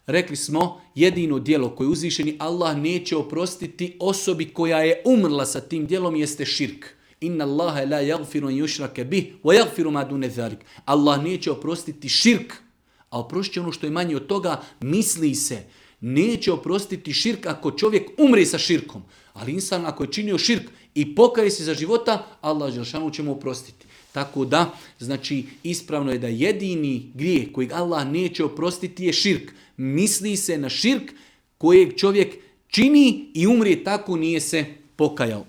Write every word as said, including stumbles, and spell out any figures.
Rekli smo, jedino djelo koje uzvišeni Allah neće oprostiti osobi koja je umrla sa tim djelom jeste širk. Inna Allaha la yaghfiru an yushraka bih wa yaghfiru ma dune zalik. Allah neće oprostiti širk, a oprošće ono što je manje od toga. Misli se, neće oprostiti širk ako čovjek umre sa širkom. Ali insan ako je činio širk i pokaje se za života, Allah dželešanu će mu oprostiti. Tako da, znači, ispravno je da jedini grijeh kojeg Allah neće oprostiti je širk. Misli se na širk kojeg čovjek čini i umrije tako nije se pokajao.